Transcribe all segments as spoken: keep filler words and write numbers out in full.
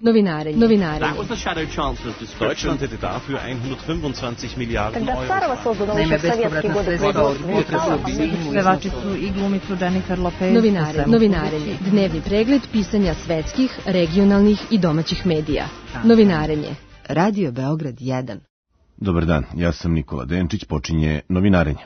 Novinarenje. Novinarenje. Deutschland hätte dafür hundertfünfundzwanzig Miliarden Euro. Naime, bespovratna sredstva od Pevačicu i glumicu Jennifer Lopez. Novinarenje. Novinarenje. Dnevni pregled pisanja svetskih, regionalnih i domaćih medija. Novinarenje. Radio Beograd jedan. Dobar dan, ja sam Nikola Denčić, počinje Novinarenje.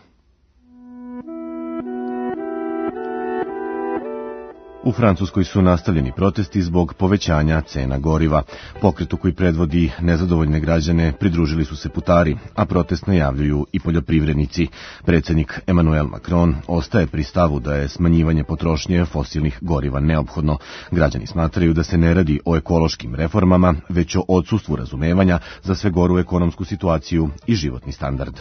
U Francuskoj su nastavljeni protesti zbog povećanja cena goriva. Pokretu koji predvodi nezadovoljne građane pridružili su se putari, a protest najavljuju i poljoprivrednici. Predsjednik Emmanuel Macron ostaje pri stavu da je smanjivanje potrošnje fosilnih goriva neophodno. Građani smatraju da se ne radi o ekološkim reformama, već o odsustvu razumevanja za sve goru ekonomsku situaciju i životni standard.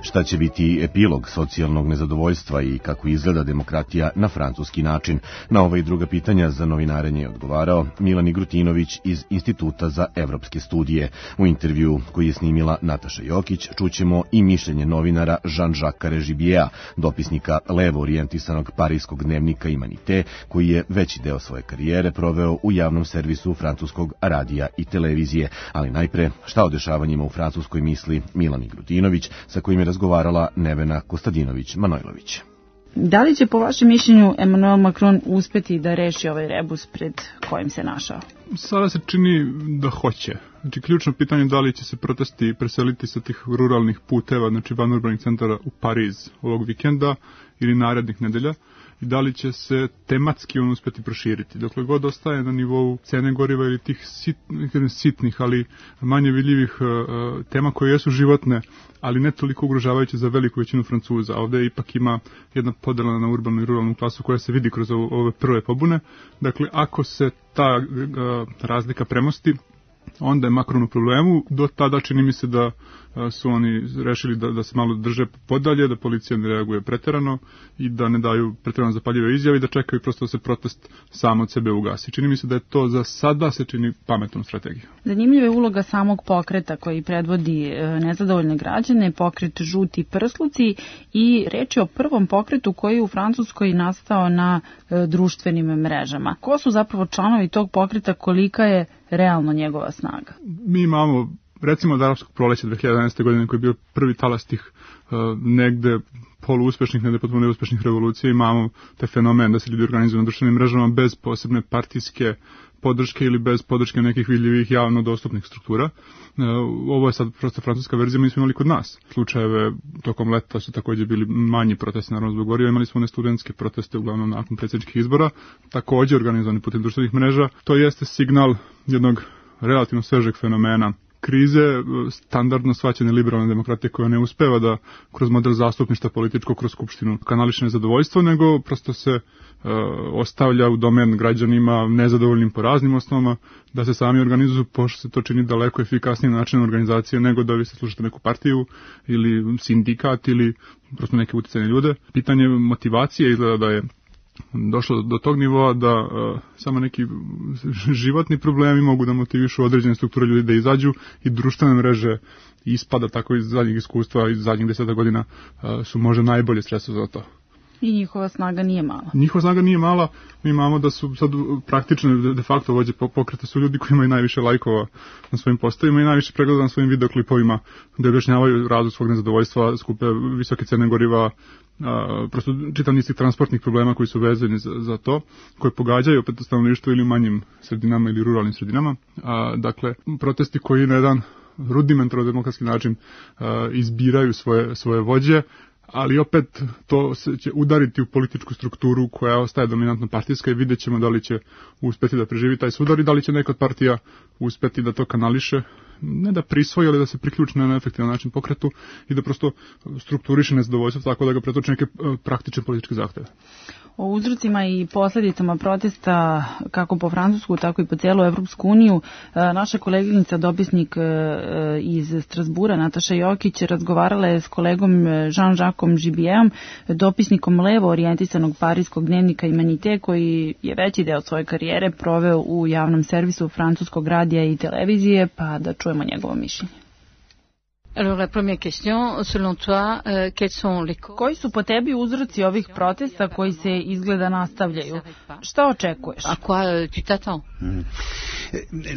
Šta će biti epilog socijalnog nezadovoljstva i kako izgleda demokratija na francuski način? Na ova i druga pitanja za Novinarenje je odgovarao Milan Igrutinović iz Instituta za evropske studije. U intervju koji je snimila Nataša Jokić čućemo i mišljenje novinara Jean-Jacques Regibiea, dopisnika levo orijentisanog parijskog dnevnika Humanité, koji je veći deo svoje karijere proveo u javnom servisu francuskog radija i televizije. Ali najpre, šta o dešavanjima u Francuskoj misli Milan Igrutinović, sa kojim je razgovarala Nevena Kostadinović-Manojlović. Da li će po vašem mišljenju Emmanuel Macron uspeti da reši ovaj rebus pred kojim se našao? Sada se čini da hoće. Znači, ključno pitanje je da li će se protesti preseliti sa tih ruralnih puteva, znači van urbanih centara u Pariz ovog vikenda ili narednih nedelja, i da li će se tematski on uspeti proširiti. Dokle god ostaje na nivou cene goriva ili tih sit, sitnih, ali manje vidljivih uh, tema koje jesu životne, ali ne toliko ugrožavajuće za veliku većinu Francuza. Ovde ipak ima jedna podela na urbanu i ruralnu klasu koja se vidi kroz ove prve pobune. Dakle, ako se ta uh, razlika premosti, onda je Macron u problemu. Do tada čini mi se da su oni rešili da, da se malo drže podalje, da policija ne reaguje preterano i da ne daju preterano zapaljive izjave i da čekaju prosto da se protest sam od sebe ugasi. Čini mi se da je to za sada se čini pametnom strategijom. Zanimljiva je uloga samog pokreta koji predvodi nezadovoljne građane, pokret Žuti prsluci, i reč je o prvom pokretu koji je u Francuskoj nastao na društvenim mrežama. Ko su zapravo članovi tog pokreta, kolika je realno njegova snaga? Mi imamo, recimo, od arapskog proleća dve hiljade jedanaeste. godine, koji je bio prvi talas tih uh, negde poluuspešnih, negde potpuno neuspešnih revolucija, imamo te fenomen da se ljudi organizuju na društvenim mrežama bez posebne partijske podrške ili bez podrške nekih vidljivih javno dostupnih struktura. Uh, ovo je sad prosto francuska verzija, mi smo imali kod nas slučajeve tokom leta, su takođe bili manji protesti, naravno zbog goriva, imali smo one studentske proteste uglavnom nakon predsjedničkih izbora, takođe organizovani putem društvenih mreža. To jeste signal jednog relativno svežeg fenomena krize, standardno shvaćene liberalne demokratije koja ne uspeva da kroz model zastupništva političko, kroz skupštinu kanališe nezadovoljstvo, nego prosto se e, ostavlja u domen građanima nezadovoljnim po raznim osnovama, da se sami organizuju, pošto se to čini daleko efikasnijim načinom organizacije nego da vi se slušate neku partiju ili sindikat ili prosto neke uticajne ljude. Pitanje motivacije izgleda da je došlo do tog nivoa da uh, samo neki životni problemi mogu da motivišu određene strukture ljudi da izađu, i društvene mreže ispada tako iz zadnjih iskustva, iz zadnjih deseta godina uh, su možda najbolje sredstvo za to. I njihova snaga nije mala. Njihova snaga nije mala. Mi imamo da su sad praktično de facto vođe pokreta su ljudi koji imaju najviše lajkova na svojim postovima i najviše pregleda na svojim videoklipovima, gde objašnjavaju razlog svog nezadovoljstva, skupe visoke cene goriva, a, prosto čitav niz transportnih problema koji su vezani za, za to, koje pogađaju opet stanovništvo ili u manjim sredinama ili ruralnim sredinama. A, dakle, protesti koji na jedan rudimentarno demokratski način a, izbiraju svoje, svoje vođe, ali opet to se će udariti u političku strukturu koja ostaje dominantno partijska i vidjet ćemo da li će uspeti da preživi taj sudar i da li će neka od partija uspeti da to kanališe, ne da prisvoji, ali da se priključi na efektivan način pokretu i da prosto strukturiše nezadovoljstvo tako da ga pretoči neke praktične političke zahteve. O uzrocima i posljedicama protesta kako po Francusku, tako i po cijelu Evropsku uniju naša koleginica, dopisnik iz Strasbura, Nataša Jokić, razgovarala je s kolegom Jean-Jacques Regibieom, dopisnikom levo orijentisanog parijskog dnevnika Humanité, koji je veći deo svoje karijere proveo u javnom servisu francuskog radija i televizije, pa da čujemo njegovo mišljenje. Alors la première question, selon toi, euh, quels sont les... Koji su po tebi uzroci ovih protesta koji se izgleda nastavljaju? Šta očekuješ? A quoi tu t'attends? Hmm.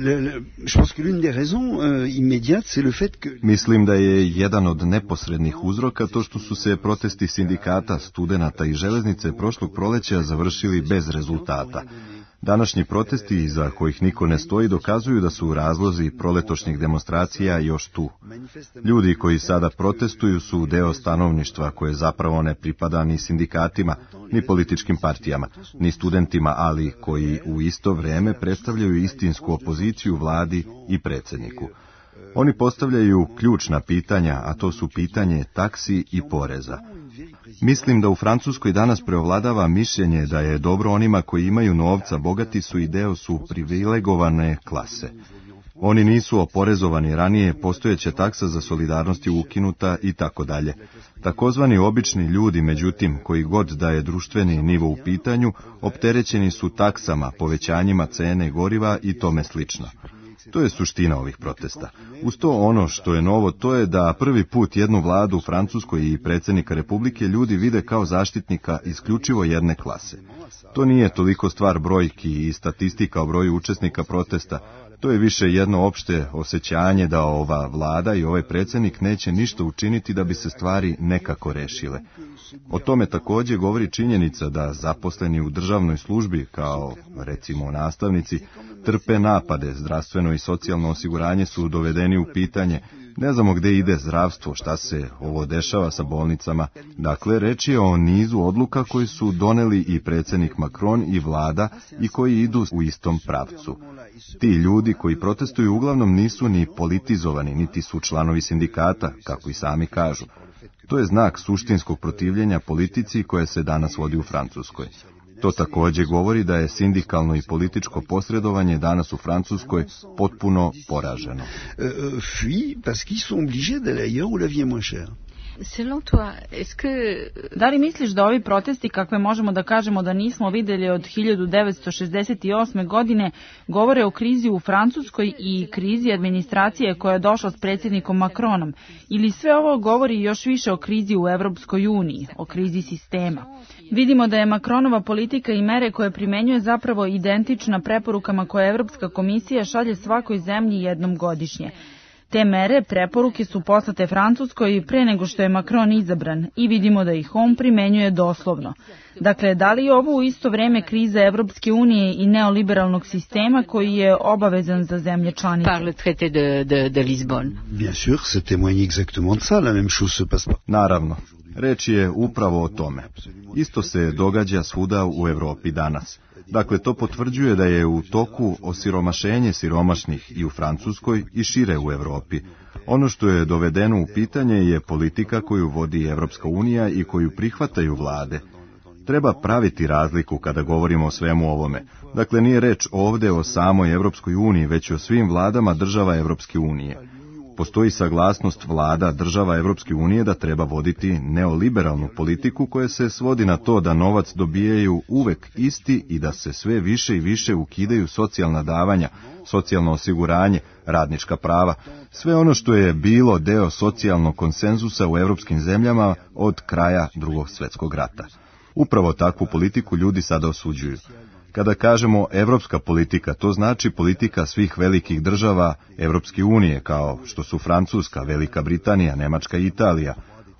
Le, le, je pense que l'une des raisons euh, immédiates, c'est le fait que... Mislim da je jedan od neposrednih uzroka to što su se protesti sindikata, studenata i železnice prošlog proleća završili bez rezultata. Današnji protesti, iza kojih niko ne stoji, dokazuju da su razlozi proletošnjih demonstracija još tu. Ljudi koji sada protestuju su deo stanovništva koje zapravo ne pripada ni sindikatima, ni političkim partijama, ni studentima, ali koji u isto vrijeme predstavljaju istinsku opoziciju vladi i predsjedniku. Oni postavljaju ključna pitanja, a to su pitanje taksi i poreza. Mislim da u Francuskoj danas preovladava mišljenje da je dobro onima koji imaju novca, bogati su i deo su privilegovane klase. Oni nisu oporezovani ranije, postojeća taksa za solidarnost je ukinuta i tako dalje. Takozvani obični ljudi, međutim, koji god da je društveni nivo u pitanju, opterećeni su taksama, povećanjima cene goriva i tome slično. To je suština ovih protesta. Uz to ono što je novo, to je da prvi put jednu vladu u Francuskoj i predsjednika Republike ljudi vide kao zaštitnika isključivo jedne klase. To nije toliko stvar brojki i statistika o broju učesnika protesta, to je više jedno opšte osjećanje da ova vlada i ovaj predsjednik neće ništa učiniti da bi se stvari nekako rešile. O tome također govori činjenica da zaposleni u državnoj službi, kao recimo nastavnici, trpe napade, zdravstveno i socijalno osiguranje su dovedeni u pitanje, ne znamo gde ide zdravstvo, šta se ovo dešava sa bolnicama. Dakle, reč je o nizu odluka koji su doneli i predsjednik Macron i vlada i koji idu u istom pravcu. Ti ljudi koji protestuju uglavnom nisu ni politizovani, niti su članovi sindikata, kako i sami kažu. To je znak suštinskog protivljenja politici koja se danas vodi u Francuskoj. To također govori da je sindikalno i političko posredovanje danas u Francuskoj potpuno poraženo. Da li misliš da ovi protesti, kakve možemo da kažemo da nismo vidjeli od hiljadu devetsto šezdeset osme. godine, govore o krizi u Francuskoj i krizi administracije koja je došla s predsjednikom Macronom? Ili sve ovo govori još više o krizi u Evropskoj uniji, o krizi sistema? Vidimo da je Macronova politika i mere koje primenjuje zapravo identična preporukama koje Evropska komisija šalje svakoj zemlji jednom godišnje. Te mere, preporuke su poslate Francuskoj pre nego što je Macron izabran i vidimo da ih on primenjuje doslovno. Dakle, da li je ovo u isto vreme kriza Evropske unije i neoliberalnog sistema koji je obavezan za zemlje članice? Par le traité de, de, de Lisbonne. Bien sûr, c'est témoigne exactement de ça, la même chose se passe. Naravno, reč je upravo o tome. Isto se događa svuda u Evropi danas. Dakle, to potvrđuje da je u toku osiromašenje siromašnih i u Francuskoj i šire u Evropi. Ono što je dovedeno u pitanje je politika koju vodi Evropska unija i koju prihvataju vlade. Treba praviti razliku kada govorimo o svemu ovome. Dakle, nije reč ovdje o samoj Evropskoj uniji, već o svim vladama država Evropske unije. Postoji saglasnost vlada država Evropske unije da treba voditi neoliberalnu politiku koja se svodi na to da novac dobijaju uvek isti i da se sve više i više ukidaju socijalna davanja, socijalno osiguranje, radnička prava, sve ono što je bilo deo socijalnog konsenzusa u evropskim zemljama od kraja Drugog svjetskog rata. Upravo takvu politiku ljudi sada osuđuju. Kada kažemo evropska politika, to znači politika svih velikih država Evropske unije, kao što su Francuska, Velika Britanija, Nemačka i Italija.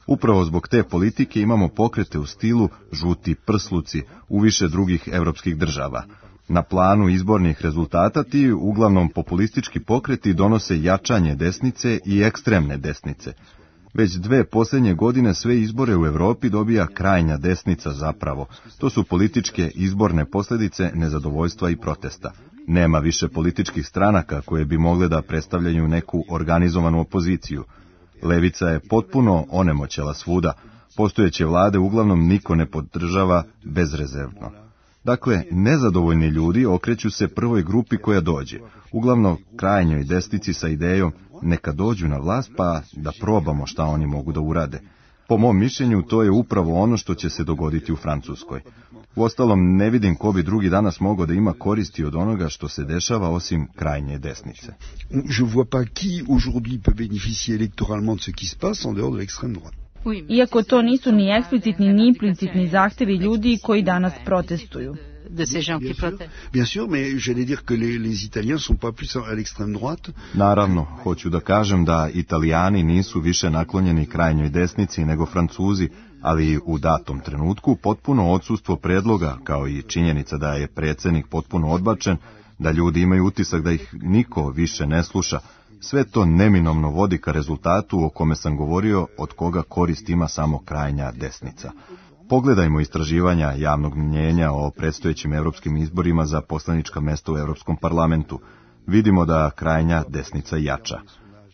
Upravo zbog te politike imamo pokrete u stilu žuti prsluci u više drugih evropskih država. Na planu izbornih rezultata ti uglavnom populistički pokreti donose jačanje desnice i ekstremne desnice. Već dve posljednje godine sve izbore u Europi dobija krajnja desnica zapravo. To su političke izborne posljedice nezadovoljstva i protesta. Nema više političkih stranaka koje bi mogle da predstavljaju neku organizovanu opoziciju. Levica je potpuno onemoćela svuda. Postojeće vlade uglavnom niko ne podržava bezrezervno. Dakle, nezadovoljni ljudi okreću se prvoj grupi koja dođe, uglavnom krajnjoj desnici sa idejom neka dođu na vlast pa da probamo šta oni mogu da urade. Po mom mišljenju, to je upravo ono što će se dogoditi u Francuskoj. Uostalom, ne vidim ko bi drugi danas mogao da ima koristi od onoga što se dešava osim krajnje desnice. Je vois pas qui aujourd'hui peut bénéficier électoralement de ce qui se passe en dehors de l'extrême droite. Iako to nisu ni eksplicitni ni implicitni zahtevi ljudi koji danas protestuju. De ces gens qui protestent. Bien sûr, mais j'allais dire que les, les Italiens sont pas plus à l'extrême droite. Naravno, hoću da kažem da Italijani nisu više naklonjeni krajnjoj desnici nego Francuzi, ali u datom trenutku potpuno odsustvo predloga, kao i činjenica da je predsjednik potpuno odbačen, da ljudi imaju utisak da ih niko više ne sluša, sve to neminovno vodi ka rezultatu o kome sam govorio, od koga korist ima samo krajnja desnica. Pogledajmo istraživanja javnog mnjenja o predstojećim europskim izborima za poslanička mesta u Europskom parlamentu. Vidimo da krajnja desnica jača.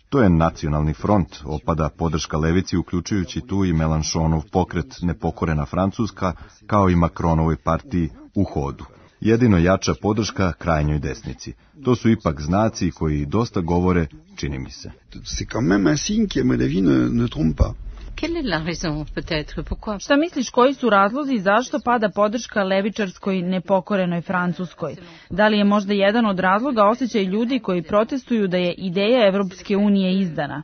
To je nacionalni front, opada podrška levici, uključujući tu i Mélenchonov pokret Nepokorena Francuska, kao i Macronovoj partiji U hodu. Jedino jača podrška krajnjoj desnici. To su ipak znaci koji dosta govore, čini mi se. C'est quand même un signe qui, à mon avis, ne, ne trompe pas. Quelle est la raison, peut-être, pourquoi? Šta misliš, koji su razlozi zašto pada podrška levičarskoj nepokorenoj Francuskoj? Da li je možda jedan od razloga osjećaj ljudi koji protestuju da je ideja Evropske unije izdana?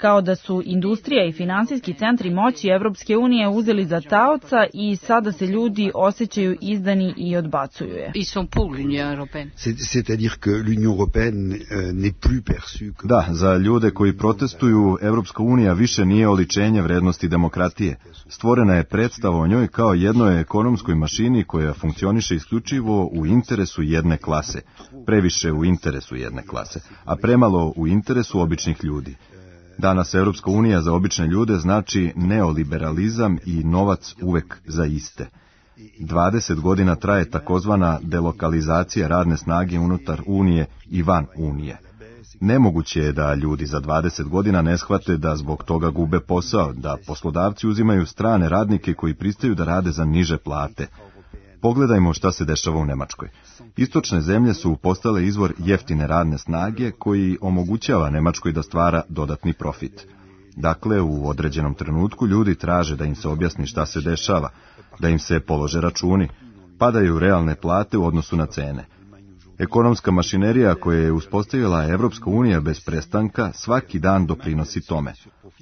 Kao da su industrija i finansijski centri moći Evropske unije uzeli za taoca i sada se ljudi osjećaju izdani i odbacuju je. Ils sont pour l'Union européenne. C'est-à-dire que l'Union européenne n'est plus perçue comme... Da, za ljude koji protestuju, Evropska unija više nije oličenje vrednosti demokratije. Stvorena je predstava o njoj kao jednoj ekonomskoj mašini koja funkcioniše isključivo u interesu jedne klase, previše u interesu jedne klase, a premalo u interesu običnih ljudi. Danas Europska unija za obične ljude znači neoliberalizam i novac uvek za iste. dvadeset godina traje takozvana delokalizacija radne snage unutar Unije i van Unije. Nemoguće je da ljudi za dvadeset godina ne shvate da zbog toga gube posao, da poslodavci uzimaju strane radnike koji pristaju da rade za niže plate. Pogledajmo šta se dešava u Nemačkoj. Istočne zemlje su postale izvor jeftine radne snage koji omogućava Nemačkoj da stvara dodatni profit. Dakle, u određenom trenutku ljudi traže da im se objasni šta se dešava, da im se polože računi, padaju realne plate u odnosu na cene. Ekonomska mašinerija koja je uspostavila Evropska unija bez prestanka svaki dan doprinosi tome.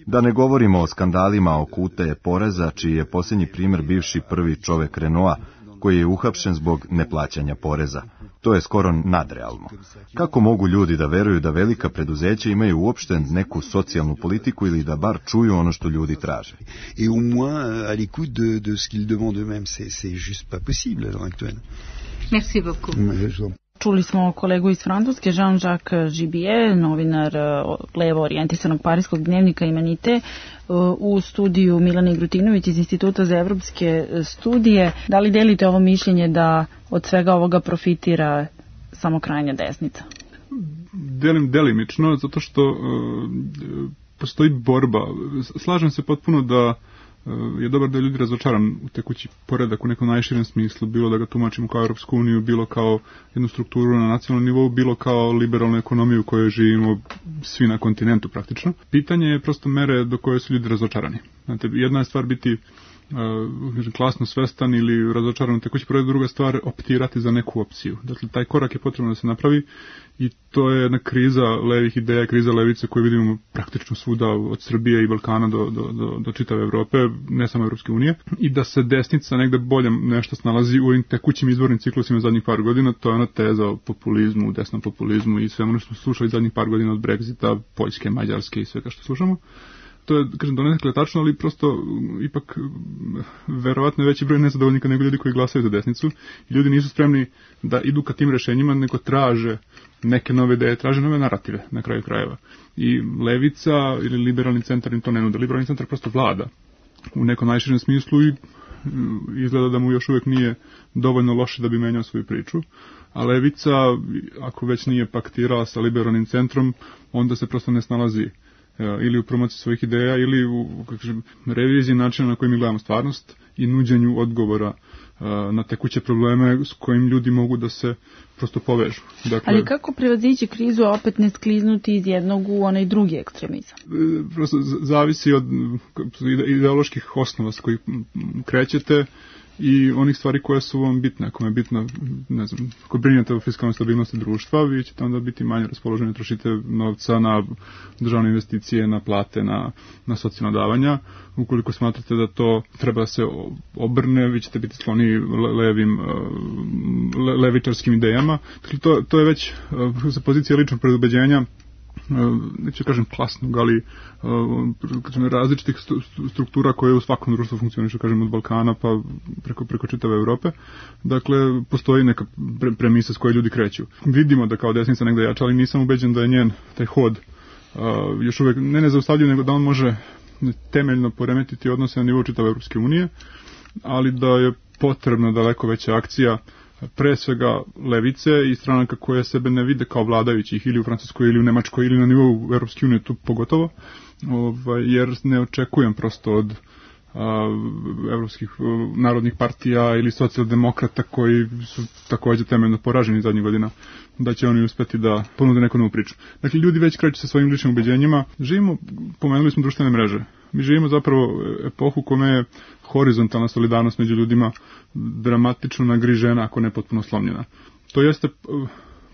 Da ne govorimo o skandalima oko utaje poreza, čiji je posljednji primjer bivši prvi čovek Renaulta, koji je uhapšen zbog neplaćanja poreza. To je skoro nadrealno. Kako mogu ljudi da veruju da velika preduzeća imaju uopšte neku socijalnu politiku ili da bar čuju ono što ljudi traže? Et au moins à l'écoute de, de ce qu'ils demandent eux-mêmes, c'est, c'est juste pas possible à l'heure actuelle. Merci beaucoup. Čuli smo kolegu iz Francuske, Jean-Jacques Gibier, novinar levo orijentisanog parijskog dnevnika Imanite, u studiju Milana Igrutinović iz Instituta za evropske studije. Da li delite ovo mišljenje da od svega ovoga profitira samo krajnja desnica? Delim delimično, zato što uh, postoji borba. Slažem se potpuno da je dobar da je ljudi razočaran u tekući poredak u nekom najširem smislu, bilo da ga tumačimo kao Europsku uniju, bilo kao jednu strukturu na nacionalnom nivou, bilo kao liberalnu ekonomiju u kojoj živimo svi na kontinentu praktično. Pitanje je prosto mere do koje su ljudi razočarani. Znate, jedna je stvar biti uh, klasno svestan ili razočaran u tekući poredak, druga stvar optirati za neku opciju. Dakle, taj korak je potrebno da se napravi i to je jedna kriza levih ideja, kriza levice koju vidimo praktično svuda od Srbije i Balkana do, do, do, do čitave Evrope, ne samo Evropske unije, i da se desnica negde bolje nešto snalazi u ovim tekućim izbornim ciklusima zadnjih par godina. To je ona teza o populizmu, desnom populizmu i svemu što smo slušali zadnjih par godina od Brexita, Poljske, Mađarske i svega što slušamo. To je, kažem, donekle tačno, ali prosto ipak verovatno je veći broj nezadovoljnika nego ljudi koji glasaju za desnicu. I ljudi nisu spremni da idu ka tim rešenjima, nego traže neke nove ideje, traže nove narative na kraju krajeva. I levica ili liberalni centar im to ne nude. Liberalni centar prosto vlada u nekom najširem smislu i izgleda da mu još uvijek nije dovoljno loše da bi menjao svoju priču. A levica, ako već nije paktirala sa liberalnim centrom, onda se prosto ne snalazi ili u promociji svojih ideja ili u kažem, reviziji načina na koji mi gledamo stvarnost i nuđenju odgovora na tekuće probleme s kojim ljudi mogu da se prosto povežu. Dakle, ali kako prevazići krizu, a opet ne skliznuti iz jednog u onaj drugi ekstremizam? Prosto zavisi od ideoloških osnova s kojih krećete i onih stvari koje su vam bitne. Ako vam je bitno, ne znam, ako brinete o fiskalnoj stabilnosti društva, vi ćete onda biti manje raspoloženi, trošite novca na državne investicije, na plate, na, na socijalna davanja. Ukoliko smatrate da to treba da se obrne, vi ćete biti skloni levim, le, levičarskim idejama. Dakle, to, to je već sa pozicije ličnog predubeđenja, neću kažem klasnog, ali kažem, različitih struktura koje u svakom društvu funkcionišu, kažem, od Balkana pa preko, preko čitave Evrope. Dakle, postoji neka pre, premisa s koje ljudi kreću. Vidimo da kao desnica negde jača, ali nisam ubeđen da je njen taj hod uh, još uvek ne nezaustavljiv, nego da on može temeljno poremetiti odnose na nivou čitave Evropske unije, ali da je potrebna daleko veća akcija pre svega levice i stranaka koje sebe ne vide kao vladajućih ili u Francuskoj ili u Nemačkoj ili na nivou Evropske unije tu pogotovo, ovaj, jer ne očekujem prosto od a, evropskih a, narodnih partija ili socijaldemokrata koji su takođe temeljno poraženi zadnjih godina da će oni uspeti da ponude neku novu priču. Dakle, ljudi već kreću sa svojim ličnim ubeđenjima. Živimo, pomenuli smo društvene mreže. Mi živimo zapravo epohu kome je horizontalna solidarnost među ljudima dramatično nagrižena, ako ne potpuno slomljena. To jeste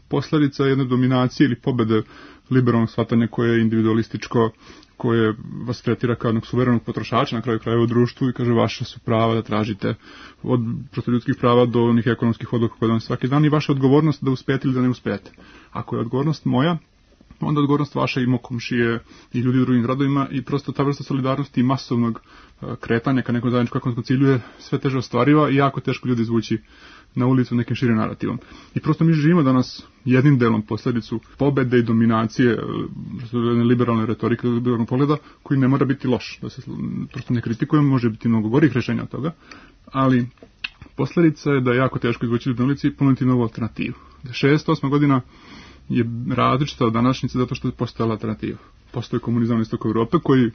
posledica jedne dominacije ili pobede liberalnog shvatanja koje je individualističko, koje vas tretira kao jednog suverenog potrošača na kraju krajeva u društvu i kaže vaše su prava da tražite od prosto ljudskih prava do onih ekonomskih odluka koje donose svaki dan i vaša odgovornost da uspete ili da ne uspete. Ako je odgovornost moja, onda odgovornost vaša i komšije i ljudi u drugim gradovima i prosto ta vrsta solidarnosti i masovnog kretanja ka nekom zajedničkom ekonomskom cilju je sve teže ostvariva i jako teško ljudi izvući na ulicu nekim širim narativom. I prosto mi živimo danas jednim delom posledicu pobede i dominacije liberalne retorike, liberalnog pogleda, koji ne mora biti loš. Da se prosto ne kritikujemo, može biti mnogo gorih rešenja od toga, ali posledica je da je jako teško izvući ljudi na ulici i ponuditi novu alternativu. šezdeset osma godina je različita od današnjice zato što je postojala alternativa. Postoje komunizam na istoku Evrope koji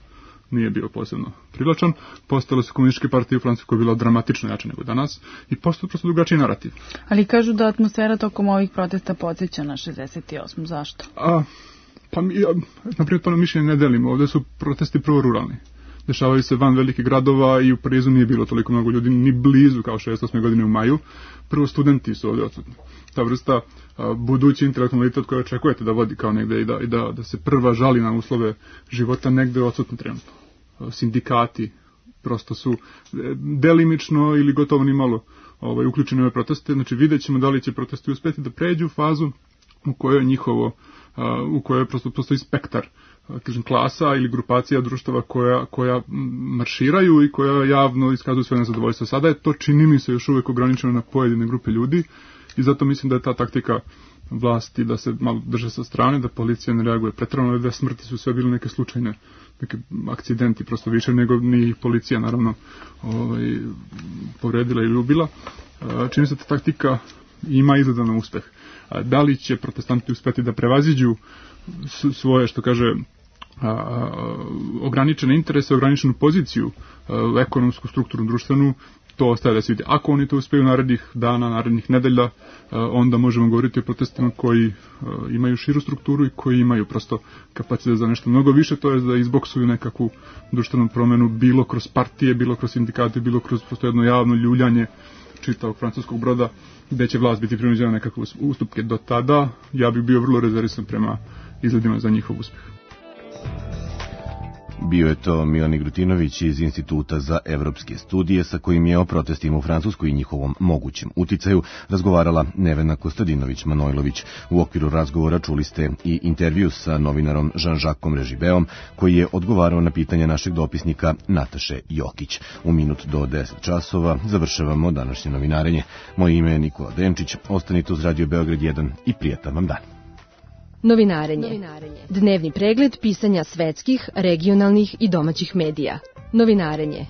nije bio posebno privlačan, postojale su komunističke partije u Francuskoj koja je bila dramatično jača nego danas i postoje prosto drugačiji narativ. Ali kažu da atmosfera tokom ovih protesta podsjeća na šezdeset osmu. Zašto? A, pa mi, ja, naprijed to na mišljenje ne delimo. Ovde su protesti prvo ruralni. Dešavaju se van velikih gradova i u Parizu nije bilo toliko mnogo ljudi, ni blizu kao šezdeset osme godine u maju. Prvo studenti su ovde odsutni. Ta vrsta a, budući intelektualitet koja očekujete da vodi kao negde i da, i da, da se prva žali na uslove života negde odsutni trenutno. A, sindikati prosto su delimično ili gotovo ni malo ovaj, uključeni u ove proteste. Znači vidjet ćemo da li će protesti uspeti da pređu u fazu u kojoj je njihovo, a, u kojoj prosto postoji spektar kažem, klasa ili grupacija društava koja, koja marširaju i koja javno iskazuju svoje nezadovoljstvo. Sada je to, čini mi se, još uvek ograničeno na pojedine grupe ljudi i zato mislim da je ta taktika vlasti da se malo drže sa strane, da policija ne reaguje preterano, da smrti su sve bile neke slučajne, neke akcidenti prosto više nego ni policija naravno ovaj, povredila ili ubila. Čini se da ta taktika ima izgleda na uspeh. Da li će protestanti uspeti da prevaziđu svoje, što kaže, a, a, ograničene interese, ograničenu poziciju, a, ekonomsku, strukturnu, društvenu, to ostaje da se vidi. Ako oni to uspeju narednih dana, narednih nedelja, a, onda možemo govoriti o protestima koji a, imaju širu strukturu i koji imaju prosto kapacitet za nešto mnogo više, to je da izboksuju nekakvu društvenu promenu, bilo kroz partije, bilo kroz sindikate, bilo kroz prosto jedno javno ljuljanje čitavog francuskog broda, gde će vlast biti prinuđena nekakve ustupke. Do tada ja bih bio vrlo rezervisan prema izgledima za njihov uspeh. Bio je to Milan Grutinović iz Instituta za evropske studije sa kojim je o protestima u Francuskoj i njihovom mogućem uticaju razgovarala Nevena Kostadinović-Manojlović. U okviru razgovora čuli ste i intervju sa novinarom Jean-Jacques Režibeom koji je odgovarao na pitanja našeg dopisnika Nataše Jokić. U minut do deset časova završavamo današnje novinarenje. Moje ime je Nikola Denčić. Ostanite uz Radio Beograd jedan i prijatan vam dan. Novinarenje. Novinarenje. Dnevni pregled pisanja svetskih, regionalnih i domaćih medija. Novinarenje.